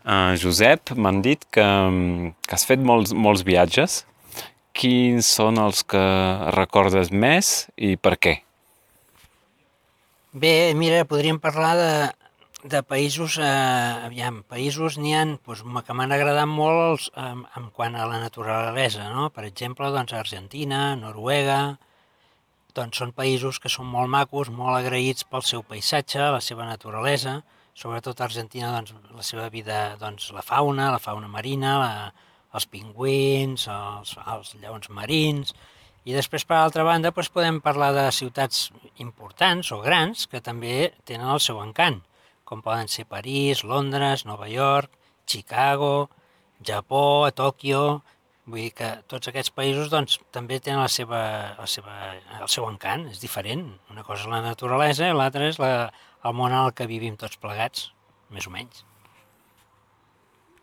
Josep, m'han dit que has fet molts viatges. Quins són els que recordes més i per què? Bé, mira, podríem parlar de països, països n'hi ha doncs, que m'han agradat molt en quant a la naturalesa, no? Per exemple, doncs, Argentina, Noruega, doncs són països que són molt macos, molt agraïts pel seu paisatge, la seva naturalesa, sobretot a Argentina, doncs, la seva vida, doncs, la fauna marina, els pingüins, els lleons marins, i després, per altra banda, doncs podem parlar de ciutats importants o grans que també tenen el seu encant, com poden ser París, Londres, Nova York, Chicago, Japó, Tòquio. Vull dir que tots aquests països doncs, també tenen el seu encant, és diferent. Una cosa és la naturalesa i l'altra és el món en el que vivim tots plegats, més o menys.